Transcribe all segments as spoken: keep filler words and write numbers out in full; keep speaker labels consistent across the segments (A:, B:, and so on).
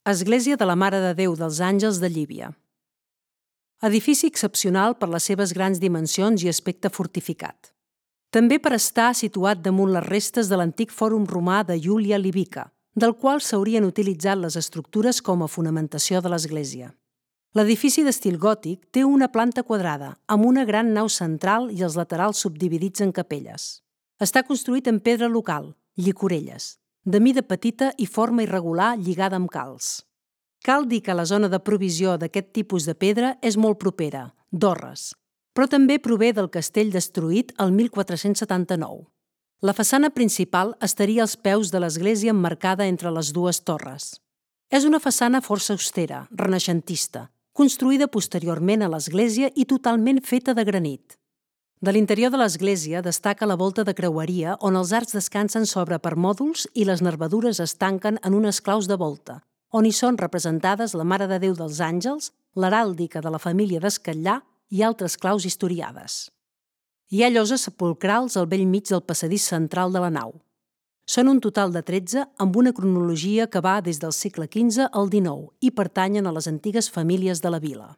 A: Església de la Mare de Déu dels Àngels de Llívia. Edifici excepcional per les seves grans dimensions i aspecte fortificat. També per estar situat damunt les restes de l'antic fòrum romà de Iúlia Libica, del qual s'haurien utilitzat les estructures com a fonamentació de l'església. L'edifici d'estil gòtic té una planta quadrada, amb una gran nau central i els laterals subdividits en capelles. Està construït en pedra local, llicorelles, de mida petita i forma irregular lligada amb calç. Cal dir que la zona de provisió d'aquest tipus de pedra és molt propera, d'Orres, però també prové del castell destruït el mil quatre-cents setanta-nou. La façana principal estaria als peus de l'església emmarcada entre les dues torres. És una façana força austera, renaixentista, construïda posteriorment a l'església i totalment feta de granit. De l'interior de l'església destaca la volta de creueria on els arcs descansen sobre permòdols i les nervadures es tanquen en unes claus de volta, on hi són representades la Mare de Déu dels Àngels, l'heràldica de la família d'Escatllà i altres claus historiades. Hi ha lloses sepulcrals al bell mig del passadís central de la nau. Són un total de tretze amb una cronologia que va des del segle quinze al dinou i pertanyen a les antigues famílies de la vila.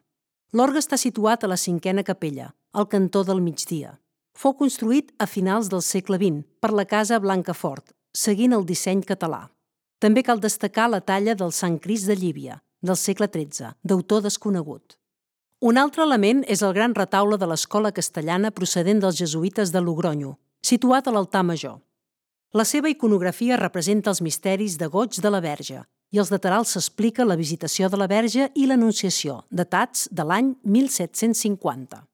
A: L'orgue està situat a la cinquena capella, al cantó del migdia. Fou construït a finals del segle vint per la casa Blancafort, seguint el disseny català. També cal destacar la talla del Sant Crist de Llívia, del segle tretze, d'autor desconegut. Un altre element és el gran retaule de l'escola castellana procedent dels jesuïtes de Logronyo, situat a l'altar major. La seva iconografia representa els misteris de goig de la Verge i als laterals s'explica la visitació de la Verge i l'Anunciació, datats de l'any mil set-cents cinquanta.